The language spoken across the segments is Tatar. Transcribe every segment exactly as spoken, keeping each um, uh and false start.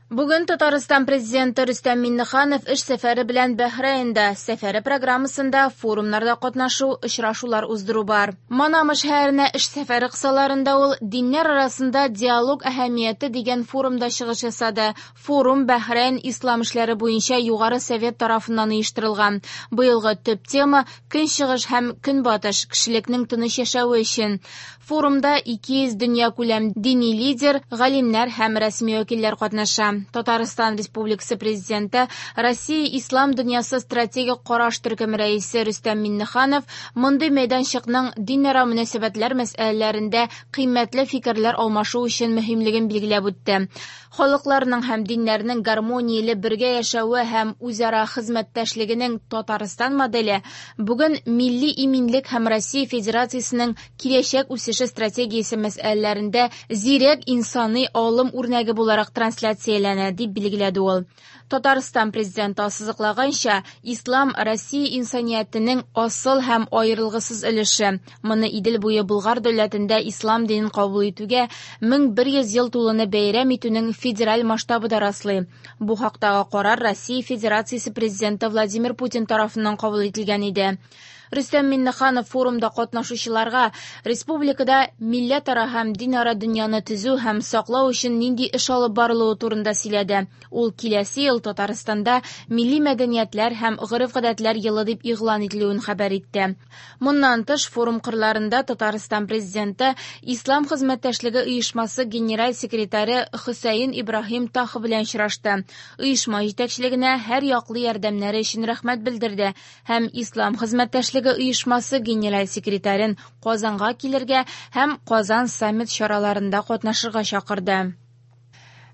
Бүген Татарстан президенты Рөстәм Миңнеханов эш сәфәре белән Бәхрәйндә. Сәфәре программасында форумнарда катнашу, очрашулар уздыру бар. Манама шәһәренә эш сәфәре кысаларында ул «Диннәр арасында диалог әһәмияте» дигән форумда чыгыш ясады. Форум Бәхрәйн ислам эшләре буенча Югары совет тарафыннан оештырылган. Быелгы төп тема «Көнчыгыш һәм Көнбатыш кешелекнең тыныч яшәве өчен». Форумда ике йөз дөньякүләм дини лидер, галимнәр һәм рәсми вәкилләр катнаша. Татарстан Республикасы президенты, Россия Ислам дөньясы стратегик караш төркеме рәисе Рөстәм Миңнеханов мондый мәйданчыкның динара мөнәсәбәтләр мәсьәләләрендә кыйммәтле фикерләр алмашу өчен мөһимлеген билгеләп үтте. Халыкларның һәм диннәрнең гармонияле бергә яшәве һәм үзара хезмәттәшлегенең Татарстан моделе бүген милли иминлек һәм Россия Федерациясенең киләчәк үсеше стратегиясе мәсьәләләрендә зирәк инсани алым үрнәге буларак трансляцияләнә, дип билгеләде ул. Татарстан президенты ассызыклаганча, ислам Россия инсаниятенең асыл һәм аерылгысыз өлеше. Моны Идел буе Болгар дәүләтендә ислам динен кабул итүгә мең бер йөз ел тулуны бәйрәм итүнең федераль масштабы да раслый. Бу хактагы карар Россия Федерациясе президенты Владимир Путин тарафыннан кабул ителгән иде. Рөстәм Миңнеханов форумда катнашучыларга республикада милләтара һәм динара дөньяны төзү һәм саклау өчен нинди эш алып барылуы турында сөйләде. Ул киләсе ел Татарстанда милли мәдәниятләр һәм гореф-гадәтләр елы дип игълан ителүен хәбәр итте. Моннан тыш форум кырларында Татарстан президенты Ислам хезмәттәшлеге оешмасы генераль секретаре Хөсәен Ибраһим Таха белән очрашты. Оешма җитәкчелегенә һәр яклы ярдәмнәре өчен рәхмәт белдерде һәм Ислам хезмәттәшлеге оешмасы генераль секретарен Казанга килергә һәм Казан саммит чараларында катнашырга чакырды.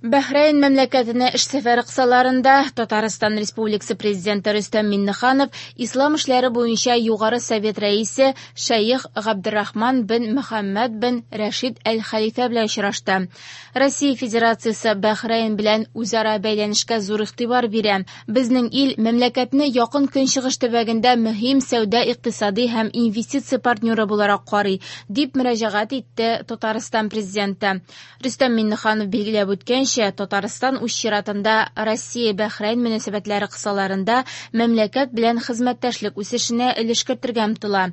Бәхрәйн мәмләкәтенә эш сәфәре кысаларында Татарстан Республикасы президенты Рөстәм Миңнеханов Ислам эшләре буенча Югары совет рәисе Шәех Габдрахман бен Мөхәммәд бен Рәшид әл-Хәлифә белән очрашты. Россия Федерациясе Бәхрәйн белән үзара бәйләнешкә зур игътибар бирә. Безнең ил мәмләкәтне якын көнчыгыш төбәгендә мөһим сәүдә-икътисади һәм инвестиция партнеры буларак карый, дип мөрәҗәгать итте Татарстан президенты. Рөстәм Миңнеханов билгеләп үткәнчә, Татарстан үз чиратында Россия-Бәхрәйн мөнәсәбәтләре кысаларында мәмләкәт белән хезмәттәшлек үсешенә өлеш кертергә омтыла.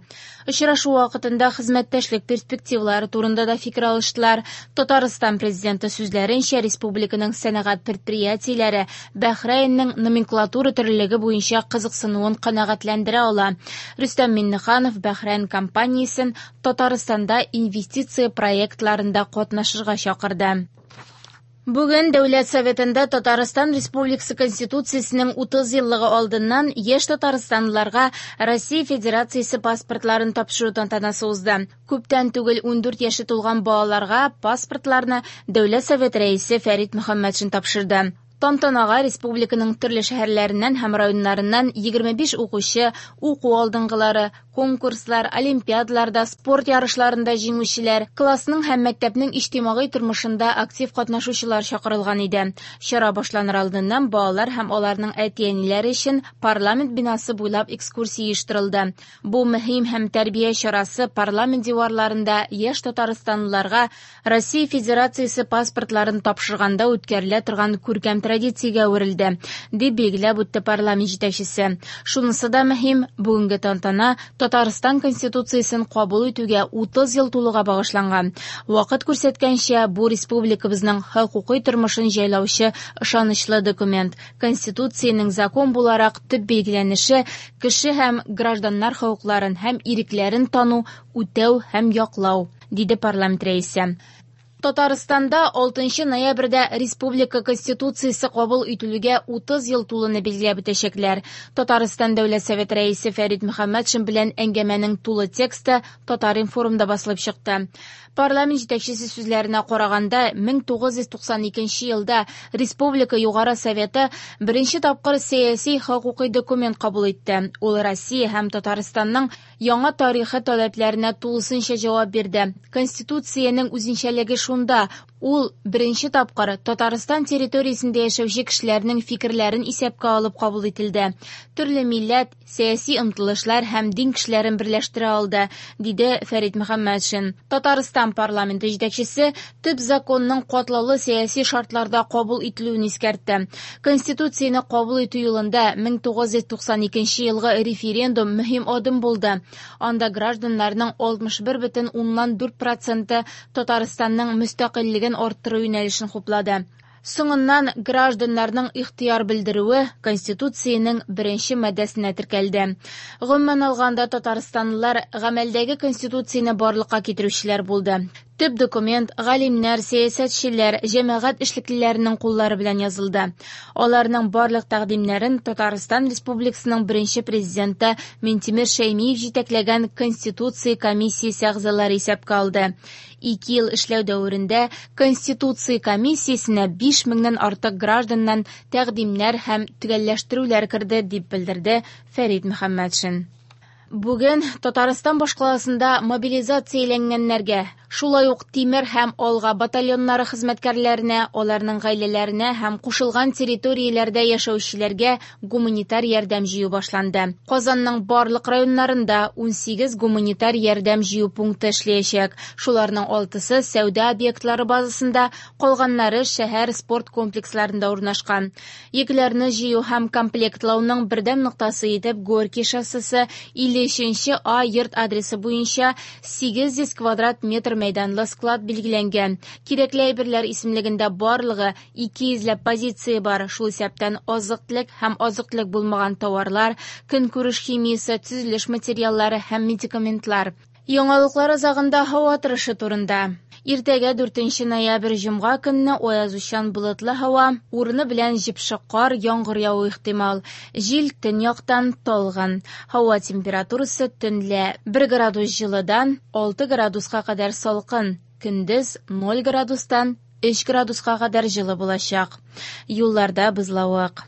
Очрашу вакытында хезмәттәшлек перспективалары турында да фикер алыштылар. Татарстан президенты сүзләренчә, республиканың сәнәгать предприятиеләре Бәхрәйннең номенклатура төрлелеге буенча кызыксынуын канәгатьләндерә ала. Рөстәм Миңнеханов Бәхрәйн компаниясен Татарстанда инвестиция проектларында катнашырга чакырды. Бүген Дәүләт Советында Татарстан Республикасы Конституциясенең утыз еллыгы алдыннан яшь татарстанлыларга Россия Федерациясе паспортларын тапшыру тантанасы узды. Күптән түгел ундүрт яше тулган балаларга паспортларны Дәүләт Советы рәисе Фәрит Мөхәммәтшин тапшырды. Тантанага республиканың төрле шәһәрләреннән һәм районнарыннан егерме биш укучы, уку алдынгылары, конкурслар, олимпиадаларда, спорт ярышларында җиңүчеләр, классның һәм мәктәпнең иҗтимагый тормышында актив катнашучылар чакырылган иде. Чара башланыр алдыннан балалар һәм аларның әти-әниләре өчен парламент бинасы буйлап экскурсия оештырылды. Бу мөһим һәм тәрбия чарасы парламент диварларында яшь татарстанлыларга Россия Федерациясе паспортларын тапшырганда үткәрелә торган күркәм традициягә әверелде, дип билгеләп үтте парламент җитәкчесе. Шунысы да мөһим, бүгенге тантана Татарстан Конституциясен кабул итүгә утыз ел тулуга багышланган. Вакыт күрсәткәнчә, бу республикабызның хокукый тормышын җайлаучы ышанычлы документ. Конституциянең закон буларак төп билгеләнеше кеше һәм гражданнар хокукларын һәм ирекләрен тану, үтәү һәм яклау, диде парламент рәисе. Татарстанда алтынчы ноябрьдә Республика Конституциясе кабул ителүгә утыз ел тулуны билгеләп үтәчәкләр. Татарстан Дәүләт Советы рәисе Фәрит Мөхәммәтшин белән әңгәмәнең тулы тексты Татар-информда басылып чыкты. Парламент җитәкчесе сүзләренә караганда, мең тугыз йөз туксан икенче елда Республика Югары Советы беренче тапкыр сәяси хокукый документ кабул итте. Ул Россия һәм Татарстанның яңа тарихы таләпләренә тулысынча җавап бирде. Конституциянең үзенчәлеге шунда, Ул беренче тапкыр Татарстан территориясендә яшәүче кешеләрнең фикерләрен исәпкә алып кабул ителде. Төрле милләт, сәяси омтылышлар һәм дин кешеләрен берләштерә алды, диде Фәрит Мөхәммәтшин. Татарстан парламенты җитәкчесе төп законның катлаулы сәяси шартларда кабул ителүен искәртте. Конституцияне кабул итү юлында мең тугыз йөз туксан икенче елгы референдум мөһим адым булды. Анда гражданнарның алтмыш бер бөтен уннан дүрт проценты Татарстанның мөстәкыйльлеген арттыру юнәлешен хуплады. Соңыннан гражданнарның ихтыяр белдерүе Конституциянең беренче маддәсенә теркәлде. Гомумән алганда, татарстанлылар гамәлдәге Конституцияне барлыкка китерүчеләр булды. Төп документ галимнәр, сәясәтчеләр, җәмәгать эшлеклеләренең куллары белән язылды. Аларның барлык тәкъдимнәрен Татарстан Республикасының беренче президенты Минтимер Шәймиев җитәкләгән Конституция комиссиясе әгъзалары исәпкә алды. Ике ел эшләү дәверендә Конституция комиссиясенә биш меңнән артык гражданнан тәкъдимнәр һәм төгәлләштерүләр керде, дип белдерде Фәрит Мөхәммәтшин. Бүген Татарстан башкаласында мобилизацияләнгәннәргә, шулай ук Тимер һәм Алга батальоннары хезмәткәрләренә, аларның гаиләләренә һәм кушылган территорияләрдә яшәүчеләргә гуманитар ярдәм җыю башланды. Казанның барлык районнарында ун сигез гуманитар ярдәм җыю пункты эшләячәк. Шуларның алтысы сәүдә объектлары базасында, калганнары шәһәр спорт комплексларында урнашкан. Йөкләрне җыю һәм комплектлауның бердәм ноктасы итеп Горький шоссесы илле өченче А йорт адресы буенча сигез йөз квадрат метр мәйданлы склад билгеләнгән. Кирәкле әйберләр исемлегендә барлыгы ике йөзләп позиция бар, шул исәптән азык-төлек һәм азык-төлек булмаган товарлар, көнкүреш химиясе, төзелеш материаллары һәм медикаментлар. Яңалыклар азагында һава торышы турында. Иртәгә дүртенче ноябрь җомга көнне аязучан болытлы һава, урыны белән җепшек кар, яңгыр яву ихтимал. Җил төньяктан талгын. Һава температурасы төнлә бер градус җылыдан алты градуска кадәр салкын, көндез ноль градустан өч градуска кадәр җылы булачак. Юлларда бозлавык.